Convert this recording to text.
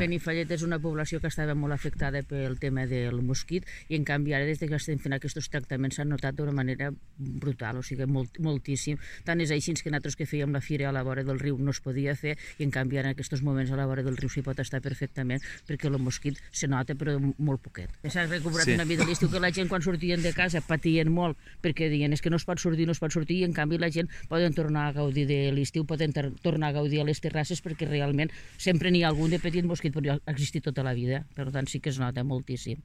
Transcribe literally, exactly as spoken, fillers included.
Benifallet és una població que estava molt afectada pel tema del mosquit i en canvi ara des que estem fent aquests tractaments s'han notat d'una manera brutal, o sigui, molt, moltíssim. Tant és així que nosaltres que fèiem la fira a la vora del riu no es podia fer i en canvi ara en aquests moments a la vora del riu s'hi pot estar perfectament perquè el mosquit se nota però molt poquet. S'ha recuperat sí. una mica l'estiu que la gent quan sortien de casa patien molt perquè deien és que no es pot sortir, no es pot sortir i en canvi la gent poden tornar a gaudir de l'estiu, poden tornar a gaudir a les terrasses perquè realment sempre n'hi ha algun de petit mosquit, però ha existit tota la vida, per tant sí que es nota moltíssim.